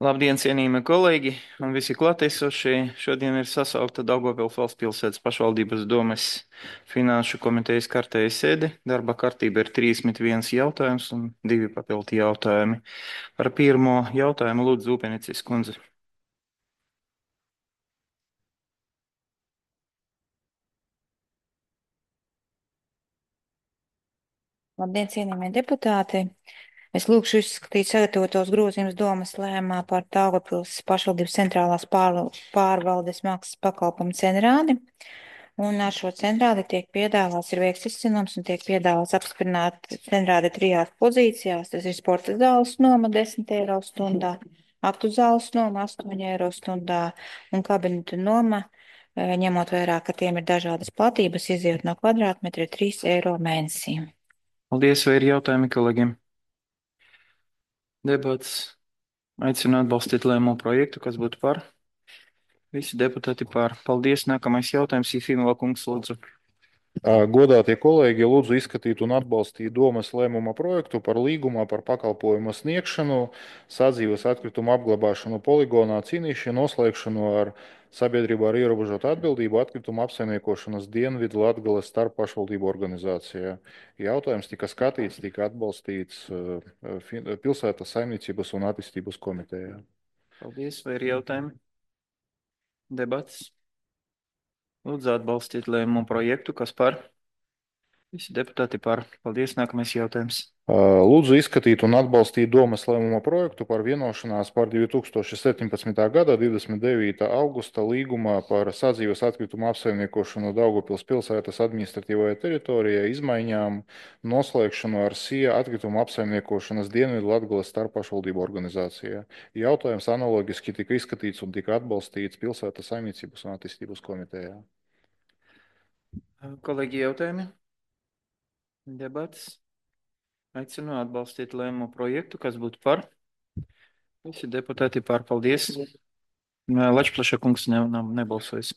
Labdien, cienījamie kolēģi un visi klātesošie! Šodien ir sasaukta Daugavpils valsts pilsētas pašvaldības domes finanšu komitejas kārtēja sēde. Darba kārtība ir 31 jautājums un 2 papildi jautājumi. Par pirmo jautājumu lūdzu Upenicis kundze. Labdien, cienījamie deputāti! Es lūgšu izskatīt sagatavotos grozījumus domas lēmumā par Daugavpils pašvaldības centrālās pārvaldes maksas pakalpojumu cenrādi. Un ar šo cenrādi tiek piedāvāts ir veikts izcinums un tiek piedāvāts apstiprināt cenrādi 3 pozīcijās. Tas ir sporta zāles noma 10 eiro stundā, aktu zāles noma 8 eiro stundā un kabinetu noma, ņemot vērā, ka tiem ir dažādas platības, iziet no kvadrātmetra 3 eiro mēnesī. Paldies, vai ir jautājumi kolēģiem? Debats. Aicinu atbalstīt lēmumu projektu, kas būtu par. Visi deputāti par. Paldies. Nākamais jautājums, Jefimova kungs, lūdzu. Godātie kolēģi, lūdzu izskatīt un atbalstīt domas lēmuma projektu par līgumā par pakalpojumu sniegšanu, sadzīves atkritumu apglabāšanu poligonā, cīnīšanu, noslēgšanu ar sabiedrību ar ierobežotu atbildību atkritumu apsaimniekošanas Dienvidu Latgales starppašvaldību organizācijā. Jautājums tika skatīts, tika atbalstīts pilsētas saimniecības un attīstības komitejā. Paldies, vai ir jautājumi? Debats. Lūdzu atbalstīt lēmumu projektu, kas par. Visi deputāti par. Paldies, nākamais jautājums. Lūdzu izskatīt un atbalstīt domas lēmuma projektu par vienošanās par 2017. gada 29. augusta līgumā par sadzīves atkritumu apsaimniekošanu Daugavpils pilsētas administratīvajā teritorijā izmaiņām noslēgšanu ar SIA atkritumu apsaimniekošanas Dienvidu Latgales starppašvaldību organizācijā. Jautājums analogiski tika izskatīts un tika atbalstīts pilsētas saimniecības un attīstības komitejā. Kolēģi, jautājumi? Debats. Aicinu atbalstīt lēmumu projektu, kas būtu par. Visi deputāti par. Paldies. Lačplaša kungs nebalsojas.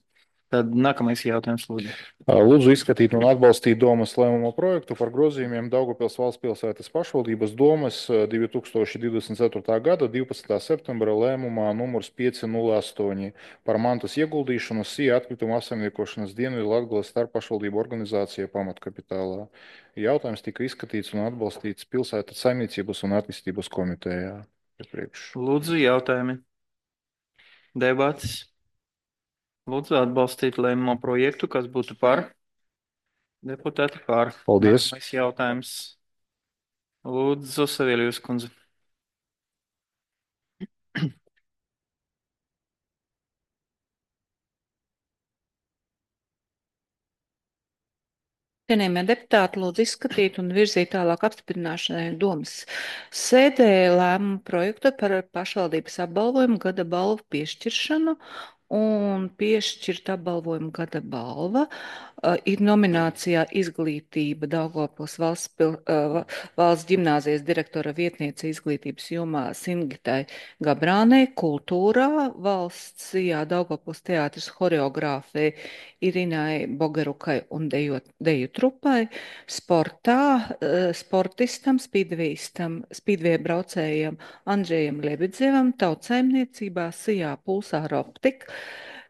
Tad nākamais jautājums, lūdzu. Lūdzu izskatīt un atbalstīt domas lēmuma projektu par grozījumiem Daugavpils valsts pilsētas pašvaldības domas 2024. gada 12. septembra lēmumā numurs 508 par mantas ieguldīšanu SIA atkritumu apsaimniekošanas Dienvidu Latgales starppašvaldību organizācijā pamatkapitālā. Jautājums tika izskatīts un atbalstīts pilsētas saimniecības un attīstības komitejā. Lūdzu, jautājumi. Debats. Lūdzu atbalstīt lēmumu projektu, kas būtu par. Deputāti par. Paldies. Nākamais jautājums. Lūdzu, Saviļus kundze. Cienījamie deputāti, lūdzu izskatīt un virzīt tālāk apstiprināšanai domas sēdē lēmumu projektu par pašvaldības apbalvojumu gada balvu piešķiršanu. Un piešķirt apbalvojumu gada balva ir nominācijā Izglītība Daugavpils valsts ģimnāzijas direktora vietniece izglītības jomā Singitai Gabrānei, kultūrā valsts Daugavpils teātris horeogrāfei Irinai Bogerukai un deju trupai, sportā sportistam, spīdvēja braucējam Andrzejam Lebedzevam, tautsaimniecībā SIA Pulsāra optika,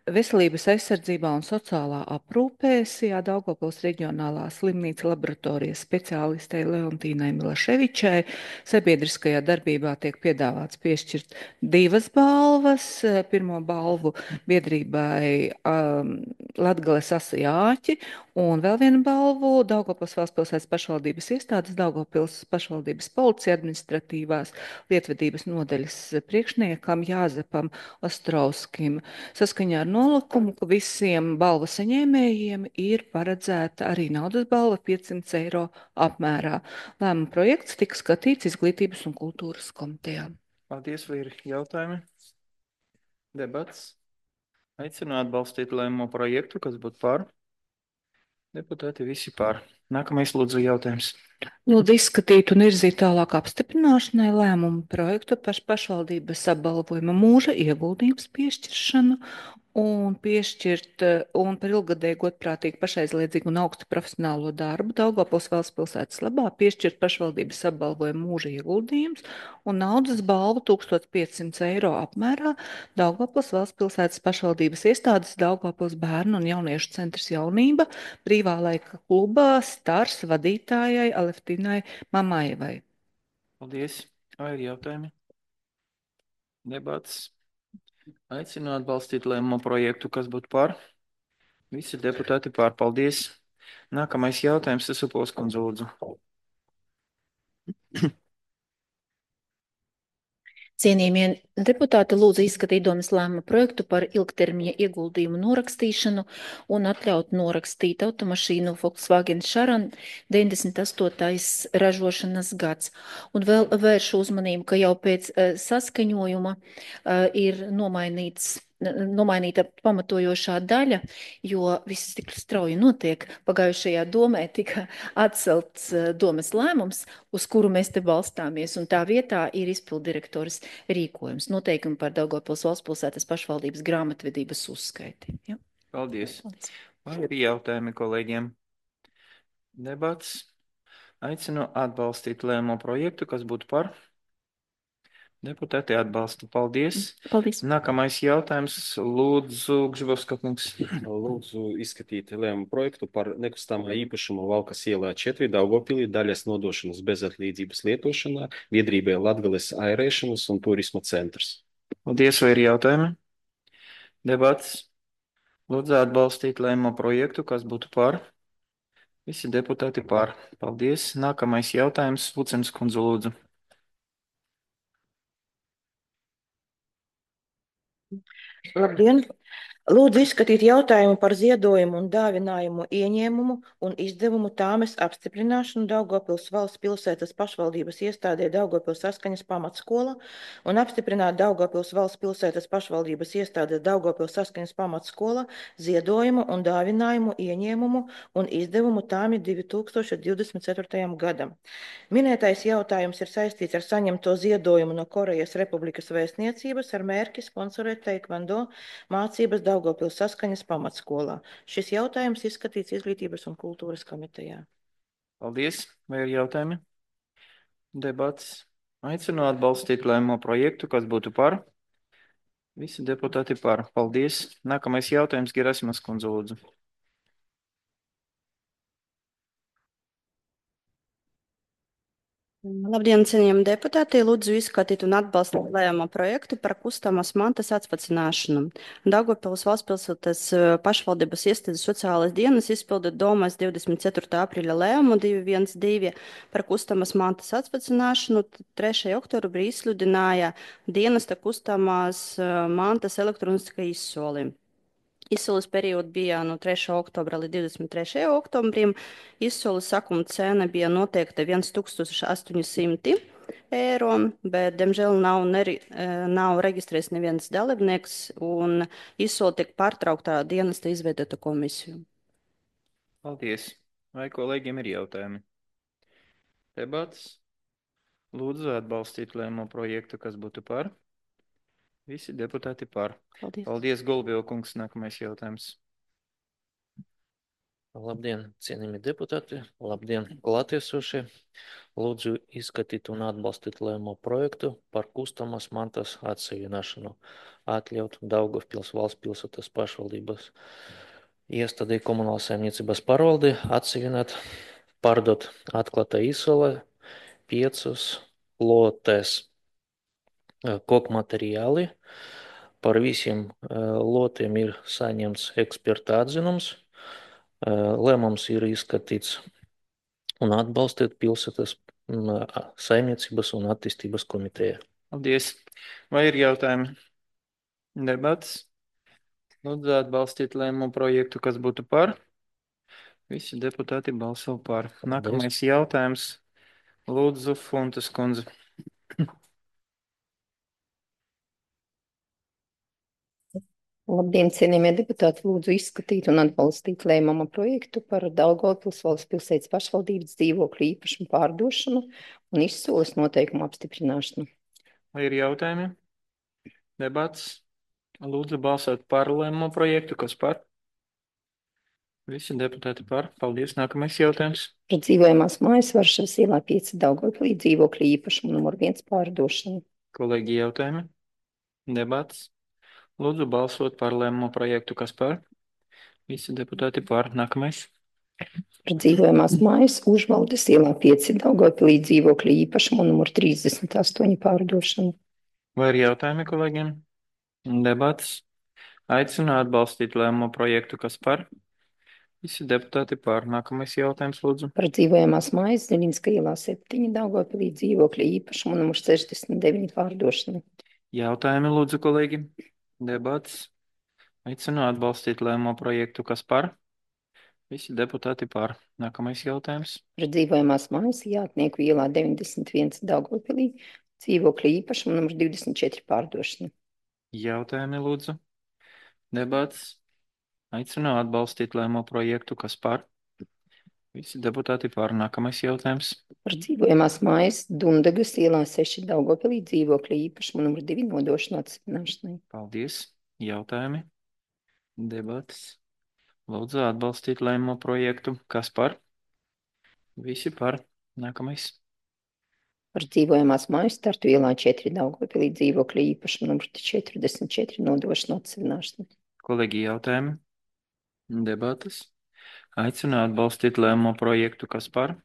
veselības aizsardzībā un sociālā aprūpē SIA Daugavpils reģionālā slimnīca laboratorijas speciālistei Leontīnai Milaševičai. Sabiedriskajā darbībā tiek piedāvāts piešķirt 2 balvas. Pirmo balvu biedrībai Latgales asijāķi un vēl vienu balvu Daugavpils valsts pilsētas pašvaldības iestādes Daugavpils pašvaldības policija administratīvās lietvedības nodaļas priekšniekam Jāzepam Ostrovskim. Saskaņā ar nolikumu, ka visiem balvu saņēmējiem ir paredzēta arī naudas balva 500 eiro apmērā. Lēmuma projekts tika skatīts Izglītības un kultūras komitejā. Paldies, vai ir jautājumi? Debats. Aicinu atbalstīt lēmumu projektu, kas būtu par. Deputāti visi par. Nākamais lūdzu jautājums. Lūdzu izskatīt un virzīt tālāk apstiprināšanai lēmumu projektu par pašvaldības apbalvojuma mūža ieguldījums piešķiršanu un piešķirt un par ilggadēju godprātīgu pašaizliedzīgu un augstu profesionālo darbu Daugavpils valsts pilsētas labā piešķirt pašvaldības apbalvojumu mūža ieguldījums un naudas balvu 1500 eiro apmērā Daugavpils valsts pilsētas pašvaldības iestādes Daugavpils bērnu un jauniešu centrs jaunība brīvā laika klubā Stars vadītājai Aleftinai Mamājevai. Paldies. Vai ir jautājumi? Debats. Aicinu atbalstīt lēmumu projektu, kas būtu par. Visi deputāti par. Paldies. Nākamais jautājums, Sasupos kundze, lūdzu. Cienījamie deputāti, lūdzu izskatīt domas lēmuma projektu par ilgtermiņa ieguldījumu norakstīšanu un atļaut norakstīt automašīnu Volkswagen Charan 98. ražošanas gads. Un vēl vēršu uzmanību, ka jau pēc saskaņojuma ir nomainīta pamatojošā daļa, jo viss tik strauji notiek. Pagājušajā domē tika atcelts domas lēmums, uz kuru mēs te balstāmies, un tā vietā ir izpildirektors rīkojums, noteikumi par Daugavpils valsts pilsētas pašvaldības grāmatvedības uzskaiti. Ja? Paldies. Vai ir jautājumi kolēģiem? Debats. Aicinu atbalstīt lēmumu projektu, kas būtu par. Deputāti atbalsta. Paldies. Paldies. Nākamais jautājums. Lūdzu, Gžibovska kungs. Lūdzu izskatīt lēmumu projektu par nekustamā īpašuma Valkas ielā 4 Daugavpilī daļas nodošanas bezatlīdzības lietošanā biedrībai Latgales airēšanas un turisma centrs. Paldies, vai ir jautājumi? Debats. Lūdzu atbalstīt lēmumu projektu, kas būtu par. Visi deputāti par. Paldies. Nākamais jautājums. Vucens kundze, lūdzu. Labdien! Lūdzu izskatīt jautājumu par ziedojumu un dāvinājumu ieņēmumu un izdevumu tāmes apstiprināšanu Daugavpils valsts pilsētas pašvaldības iestādē Daugavpils saskaņas pamatskola un apstiprināt Daugavpils valsts pilsētas pašvaldības iestādē Daugavpils saskaņas pamatskola ziedojumu un dāvinājumu ieņēmumu un izdevumu tāmi 2024. gadam. Minētais jautājums ir saistīts ar saņemto ziedojumu no Korejas Republikas vēstniecības ar mērķi sponsorēt taekwondo mācības Daugavpils saskaņas pamatskolā. Šis jautājums izskatīts Izglītības un kultūras komitejā. Paldies. Vai ir jautājumi? Debats. Aicinu atbalstīt lēmumu projektu, kas būtu par. Visi deputāti par. Paldies. Nākamais jautājums Gerasimas kundze, lūdzu. Labdien, cienījami deputāti! Lūdzu izskatīt un atbalstīt lēmumu projektu par kustamas mantas atvecināšanu. Daugavpils valsts pilsētas pašvaldības iestādes sociālais dienas izpilda domas 24. aprīļa lēmumu 212 par kustamas mantas atvecināšanu. 3. oktobrī izsludināja dienesta kustamas mantas elektroniskai izsoli. Izsoles periods bija no 3. oktobra līdz 23. oktobrim. Izsoles sakuma cena bija noteikta 1800 eiro, bet, diemžēl, nav reģistrēts neviens dalībnieks, un izsole tiek pārtrauktā dienesta izveidota komisiju. Paldies. Vai kolēģiem ir jautājumi? Debats. Lūdzu atbalstīt lēmumu projektu, kas būtu par. Visi deputāti par. Paldies. Paldies, Golbio kungs. Nākamais jautājums. Labdien, cienījami deputāti, labdien, klātiesošie. Lūdzu izskatīt un atbalstīt lēmumu projektu par kustamas mantas atseviināšanu, atļaut Daugavpils valsts pilsētas pašvaldības iestādē komunālās saimniecības pārvaldi atsevināt, pārdot atklātā izsolē 5 lotes koku materiāli. Par visiem lotiem ir saņemts eksperta atzinums. Lēmums ir izskatīts un atbalstīt pilsētas saimniecības un attīstības komiteja. Paldies. Vai ir jautājumi? Debats. Lūdzu atbalstīt lēmumu projektu, kas būtu par. Visi deputāti balso par. Nākamais jautājums. Lūdzu, Funtas kundze. Labdien, cienījamie deputāti! Lūdzu izskatīt un atbalstīt lēmuma projektu par Daugavpils valsts pilsētas pašvaldības dzīvokļu īpašumu pārdošanu un izsoles noteikumu apstiprināšanu. Vai ir jautājumi? Debats. Lūdzu balsot par lēmumu projektu. Kas par? Visi deputāti par. Paldies. Nākamais jautājums. Par dzīvojamās mājas Varšavas ielā 5 Daugavpilī dzīvokļu īpašumu numur 1 pārdošanu. Kolēģi jautājumi. Debats. Lūdzu balsot par lēmumu projektu. Kas par? Visi deputāti par. Nākamais. Par dzīvojamās mājas Užvaldes ielā 5 Daugavpilī dzīvokļu īpašumu numur 38 pārdošanu. Vai ir jautājumi kolēģiem? Debats. Aicinu atbalstīt lēmumu projektu. Kas par? Visi deputāti par. Nākamais jautājums, lūdzu. Par dzīvojamās mājas Ziļinska ielā 7 Daugavpilī dzīvokļu īpašumu numur 69 pārdošanu. Jautājumi, lūdzu, kolēģi. Debats. Aicinu atbalstīt lēmumu projektu. Kas par? Visi deputāti par. Nākamais jautājums. Par dzīvojamās mājas Jātnieku ielā 91 Daugavpilī dzīvokļu īpašumu numur 24 pārdošanu. Jautājumi, lūdzu. Debats. Aicinu atbalstīt lēmumu projektu. Kas par? Visi deputāti par. Nākamais jautājums. Par dzīvojamās mājas Dundagas ielā 6 Daugavpilī dzīvokļu īpašumu numur 2 nodošanu atsevināšanai. Paldies. Jautājumi. Debats. Lūdzu atbalstīt lēmumu projektu. Kas par? Visi par. Nākamais. Par dzīvojamās mājas Tartu ielā 4 Daugavpilī dzīvokļu īpašumu numur 44 nodošanu atsevināšanai. Kolēģi jautājumi. Debatas. Aicinu atbalstīt lēmumu projektu. Kas par?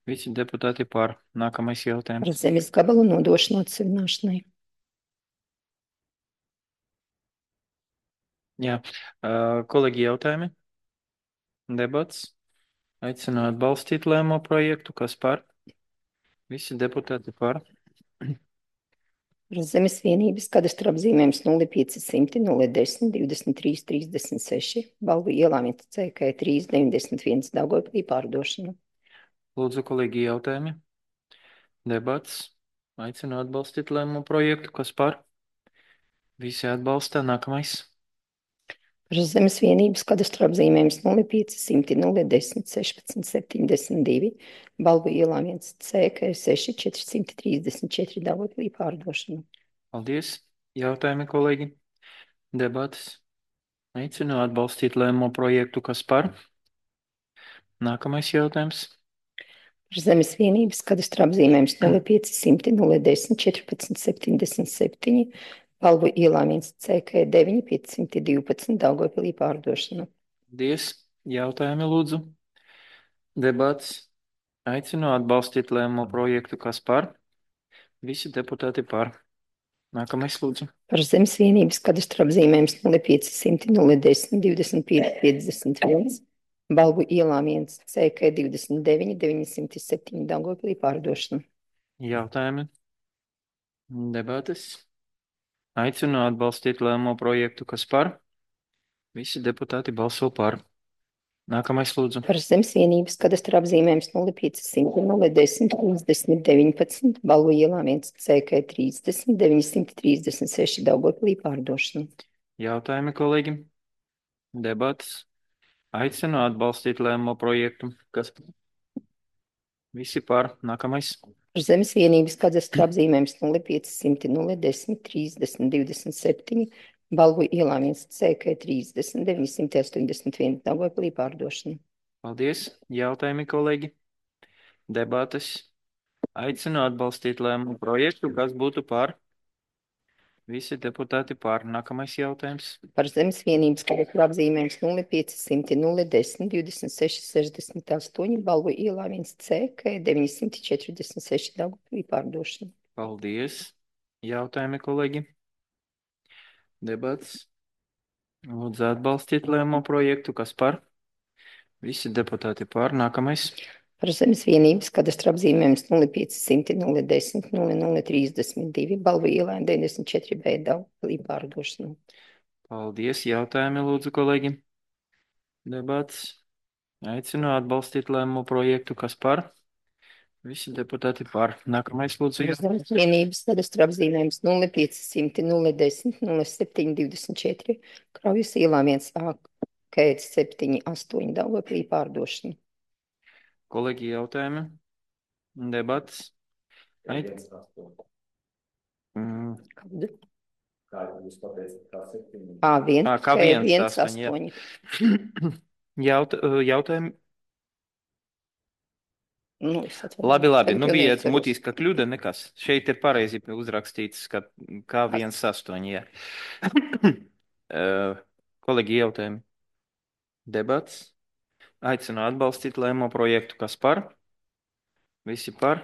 Visi deputāti par. Nākamais Par jautājums. zemes gabalu nodošanu atsevināšanai. Jā. Kolēģi jautājumi. Debats. Aicinu atbalstīt lēmumu projektu. Kas par? Visi deputāti par. Par zemes vienības kadastra apzīmējums 0500 010 23 36 Balvu ielā 1 CK 391 Daugavpilī pārdošanu. Lūdzu, kolēģi jautājumi. Debats. Aicinu atbalstīt lēmumu projektu. Kas par? Visi atbalsta. Nākamais. Par zemes vienības kadastra apzīmējums 0500 010 16 72 Balvu ielā 1 CK 6 434 Daugavpilī pārdošanu. Paldies. Jautājumi, kolēģi. Debatas. Aicinu atbalstīt lēmumu projektu. Kas par? Nākamais jautājums. Par zemes vienības kadastra apzīmējums 0500 010 14 77 Balvu ielā 1 CK 9 512 Daugavpilī pārdošanu. Paldies. Jautājumi, lūdzu. Debats. Aicinu atbalstīt lēmumu projektu. Kas par? Visi deputāti par. Nākamais, lūdzu. Par zemes vienības kadastra apzīmējums 0500 010 25 51 Balvu ielā 1 CK 29 907 Daugavpilī pārdošanu. Jautājumi. Debatas. Aicinu atbalstīt lēmumu projektu. Kas par? Visi deputāti balso par. Nākamais, lūdzu. Par zemes vienības kadastra apzīmējums 0500 010 30 19 Balvu ielā 1 CK 30 936 Daugavpilī pārdošanu. Jautājumi, kolēģi. Debatas. Aicinu atbalstīt lēmumu projektu. Kas? Visi par. Nākamais. Par zemes vienības kadastra apzīmējums 0500 010 30 27 Balvu ielā 1 CK 30 981 Daugavpilī pārdošanu. Paldies. Jautājumi, kolēģi. Debates. Aicinu atbalstīt lēmumu projektu. Kas būtu par? Visi deputāti par. Nākamais jautājums. Par zemes vienības kadastra apzīmējums 0500 010 26 68 Balvu ielā 1 CK 946 Daugavpilī pārdošanu. Paldies. Jautājumi, kolēģi. Debats. Lūdzu atbalstīt lēmumu projektu. Kas par? Visi deputāti par. Nākamais. Par zemes vienības kadastra apzīmējums 0500 010 0032 Balvu ielā 94B Daugavpilī pārdošanu. Paldies. Jautājumi, lūdzu, kolēģi. Debats. Aicinu atbalstīt lēmumu projektu. Kas par? Visi deputāti par. Nākamais, lūdzu. Par zemes vienības kadastra apzīmējums 0500 010 0724 Kraujas ielā 1A K 78 Daugavpilī pārdošanu. Kolēģi jautājumi. Debats. Kādu? A1, Kā viens K1, astoņi, jā. 8. Jautājumi? Nu, es atvainojos. Labi. Tagad Nu jau bija neatceros. mutiska kļūda, nekas. Šeit ir pareizi uzrakstīts, ka K1,8, jā. Kolēģi, jautājumi? Debats? Aicinu atbalstīt lēmumu projektu. Kas par? Visi par?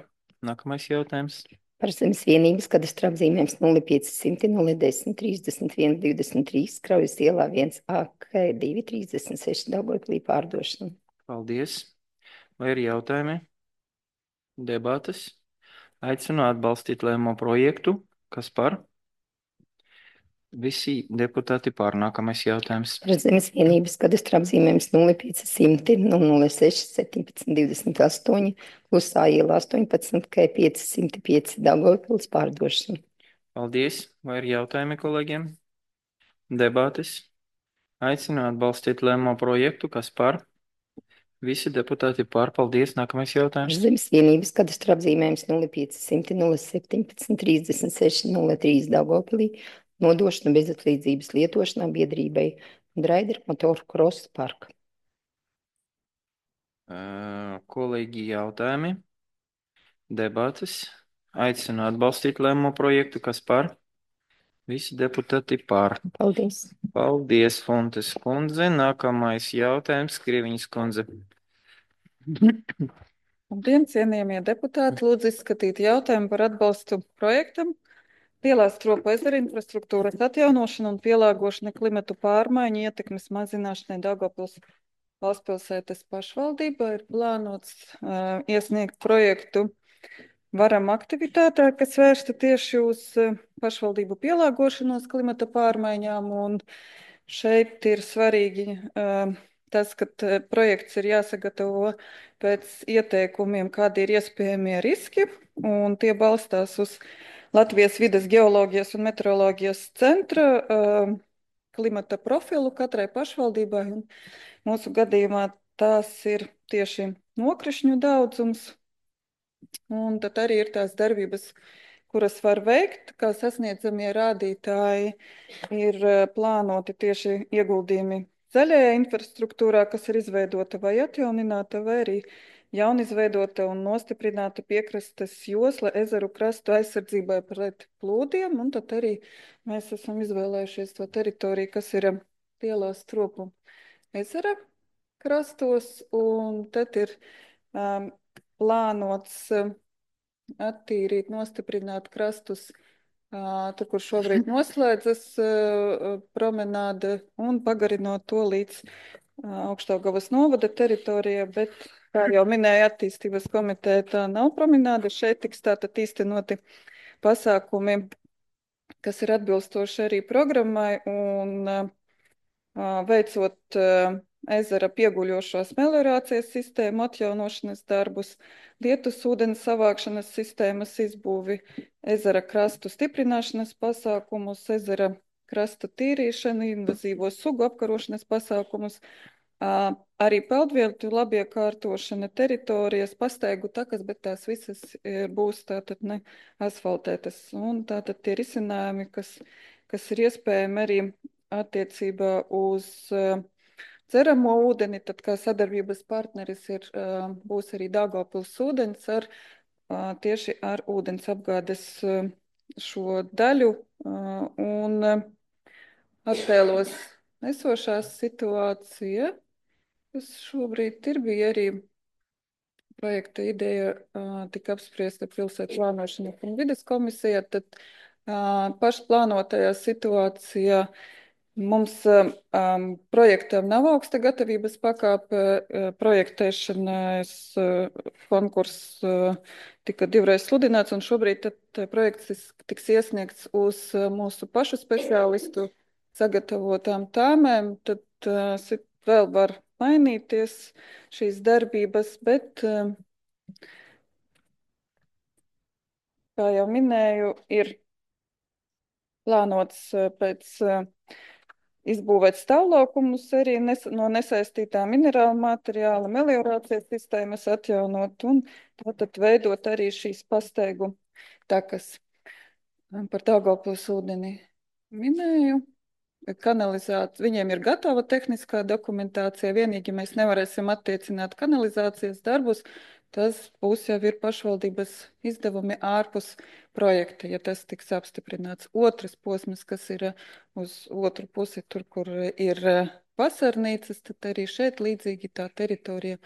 Nākamais jautājums. Par zemes vienības kadastra apzīmējums 0500 010 31 23 Kraujas ielā 1AK 2 36 Daugavpilī pārdošana. Paldies. Vai ir jautājumi? Debates? Aicinu atbalstīt lēmumu projektu. Kas par? Visi deputāti par. Nākamais jautājums. Par zemes vienības kadastra apzīmējums 0500 006 17 28 Klusā ielā 18 K 505 Daugavpils pārdošana. Paldies. Vai ir jautājumi kolēģiem? Debates? Aicinu atbalstīt lēmumu projektu. Kas par? Visi deputāti par. Paldies. Nākamais Par jautājums. zemes vienības kadastra apzīmējums 0500 017 36 03 Daugavpilī nodošana bezatlīdzības lietošanā biedrībai Draider motoru krosa parka. Kolēģi, jautājumi? Debates? Aicinu atbalstīt lēmumu projektu. Kas par? Visi deputāti par. Paldies. Paldies, Fontes kundze. Nākamais jautājums, Krieviņas kundze. Labdien, cienījamie deputāti! Lūdzu izskatīt jautājumu par atbalstu projektam Lielā Stropu ezera infrastruktūras atjaunošana un pielāgošana klimatu pārmaiņu ietekmes mazināšanai Daugavpils valstspilsētas pašvaldībā. Ir plānots iesniegt projektu varam aktivitātē, kas vērsta tieši uz pašvaldību pielāgošanos klimata pārmaiņām. Un šeit ir svarīgi tas, ka projekts ir jāsagatavo pēc ieteikumiem, kādi ir iespējamie riski, un tie balstās uz Latvijas vides geoloģijas un meteoroloģijas centra klimata profilu katrai pašvaldībai. Un mūsu gadījumā tās ir tieši nokrišņu daudzums, un tad arī ir tās darbības, kuras var veikt, kā sasniedzamie rādītāji ir plānoti tieši ieguldījumi zaļajā infrastruktūrā, kas ir izveidota vai atjaunināta, vai arī jaunizveidota un nostiprināta piekrastes josla ezeru krastu aizsardzībai pret plūdiem, un tad arī mēs esam izvēlējušies to teritoriju, kas ir Lielā Stropu ezera krastos, un tad ir plānots attīrīt, nostiprināt krastus tur, kur šobrīd noslēdzas promenāde, un pagarinot to līdz Augšdaugavas novada teritorijā, bet, kā jau minēja attīstības komiteja, tā nav promenāde. Šeit tiks tātad īstenoti pasākumi, kas ir atbilstoši arī programmai, un veicot ezera pieguļošās meliorācijas sistēmu atjaunošanas darbus, lietus ūdens savākšanas sistēmas izbūvi, ezera krastu stiprināšanas pasākumus, ezera krasta tīrīšanu, invazīvo sugu apkarošanas pasākumus, arī peldvielu labiekārtošana, teritorijas, pastaigu takas, bet tās visas būs tātad ne asfaltētas. Un tātad tie risinājumi, kas ir iespējami arī attiecībā uz dzeramo ūdeni, tad kā sadarbības partneris būs arī Daugavpils ūdens tieši ar ūdens apgādes šo daļu, un attēlos esošā situācija, kas šobrīd bija arī projekta ideja, tika apspriesta pilsētu plānošanas un vides komisijā, tad pašplānotajā situācijā mums projektam nav augsta gatavības pakāpe. Projektēšanas konkurss tika divreiz sludināts, un šobrīd projekts tiks iesniegts uz mūsu pašu speciālistu sagatavotām tāmēm. Tad vēl var mainīties šīs darbības, bet, kā jau minēju, ir plānots pēc izbūvēt stāvlaukumus arī no nesaistītā minerāla materiāla, meliorācijas sistēmas atjaunot un tātad veidot arī šīs pastaigu takas par Daugavpils ūdeni. minēju. Viņiem ir gatava tehniskā dokumentācija, vienīgi mēs nevarēsim attiecināt kanalizācijas darbus, tas būs jau ir pašvaldības izdevumi ārpus projekta, ja tas tiks apstiprināts. Otrs posms, kas ir uz otru pusi, tur, kur ir vasarnīcas, tad arī šeit līdzīgi tā teritorija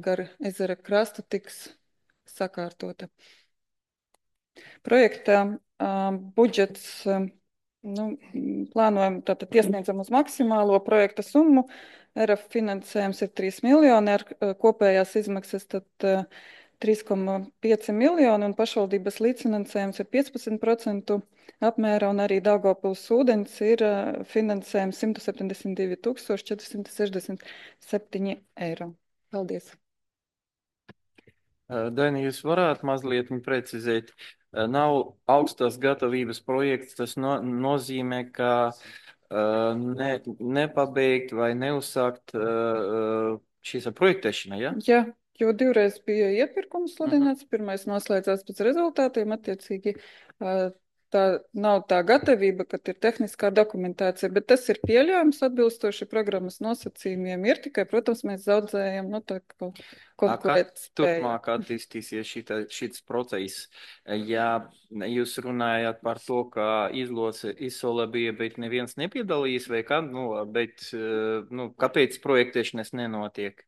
gar ezera krastu tiks sakārtota. Projekta budžets plānojam, tātad iesniedzam uz maksimālo projekta summu. RF finansējums ir 3 miljoni, ar kopējās izmaksas tad 3,5 miljoni un pašvaldības līdzfinansējums ir 15% apmērā, un arī Daugavpils ūdens ir finansējums 172 467 eiro. Paldies! Daini, jūs varētu mazliet precizēt, nav augstās gatavības projekts, tas nozīmē, ka nepabeigt vai neuzsākt šīs projektēšana, ja? Jā, jo divreiz bija iepirkums sludināts, pirmais noslēdzās pēc rezultātiem, attiecīgi tā nav tā gatavība, kad ir tehniskā dokumentācija, bet tas ir pieļaujams atbilstoši programmas nosacījumiem. Ir tikai, protams, mēs zaudējam, tā konkurētspēju. Turpmāk attīstīsies šis process. Ja jūs runājat par to, ka izsole bija, bet neviens nepiedalījās, vai kā, bet kāpēc projektēšanas nenotiek?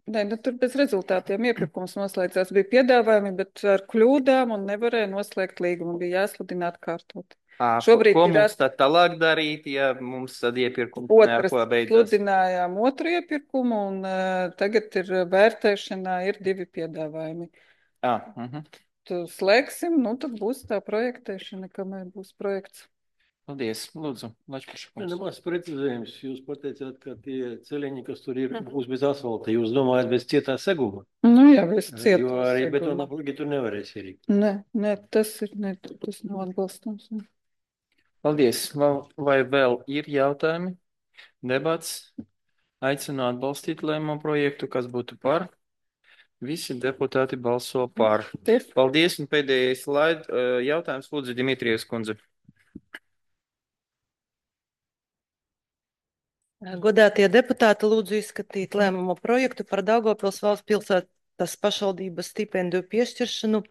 Nē, tur bez rezultātiem iepirkums noslēdzās. Bija piedāvājumi, bet ar kļūdām un nevarēja noslēgt līgumu. Bija jāsludina atkārtot. Ko mums tad tālāk darīt, ja mums tad iepirkums beidzas? Sludinājām otru iepirkumu un tagad ir vērtēšanā, ir 2 piedāvājumi. Tu slēgsim, tad būs tā projektēšana, kamēr būs projekts. Paldies, lūdzu, Lačplaškungs. Nemaz precizējums. Jūs pateicāt, ka tie celiņi, kas tur ir, būs bez asfalta. Jūs domājat bez cietā seguma? Jā, bez cietā seguma. Jo arī betona plugi tur nevarēs ierīkt. Nē, tas nav atbalstams. Paldies. Vai vēl ir jautājumi? Debats? Aicinu atbalstīt lēmumu projektu, kas būtu par. Visi deputāti balso par. Paldies, un pēdējais jautājums, lūdzu, Dimitrijas kundze. Godātie deputāti, lūdzu izskatīt lēmumu projektu par Daugavpils valsts pilsētas pašvaldības stipendiju piešķiršanu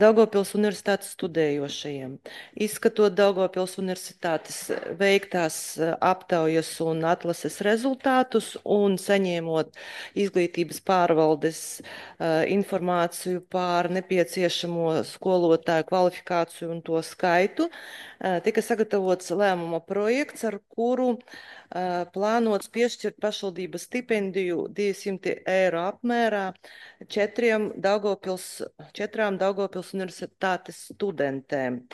Daugavpils universitātes studējošajiem. Izskatot Daugavpils universitātes veiktās aptaujas un atlases rezultātus un saņēmot izglītības pārvaldes informāciju par nepieciešamo skolotāju kvalifikāciju un to skaitu, tika sagatavots lēmuma projekts, ar kuru plānots piešķirt pašvaldības stipendiju 200 eiro apmērā 4 Daugavpils universitātes studentēm.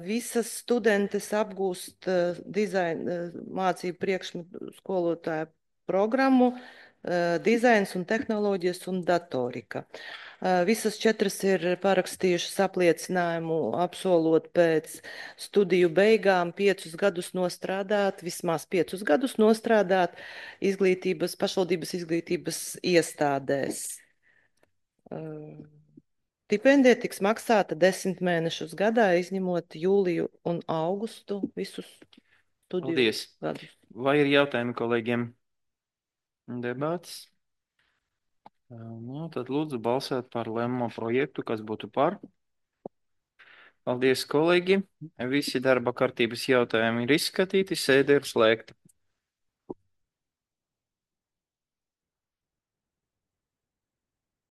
Visas studentes apgūst mācību priekšmetu skolotāju programmu, dizains un tehnoloģijas un datorika. Visas 4 ir parakstījušas apliecinājumu, apsolot pēc studiju beigām 5 gadus nostrādāt, vismaz 5 gadus nostrādāt pašvaldības izglītības iestādēs. Stipendija tiks maksāta 10 mēnešus gadā, izņemot jūliju un augustu visus studiju gadus. Vai ir jautājumi kolēģiem? Debats? Tad lūdzu balsot par lēmumu projektu, kas būtu par. Paldies, kolēģi. Visi darba kārtības jautājumi ir izskatīti, sēde ir slēgta.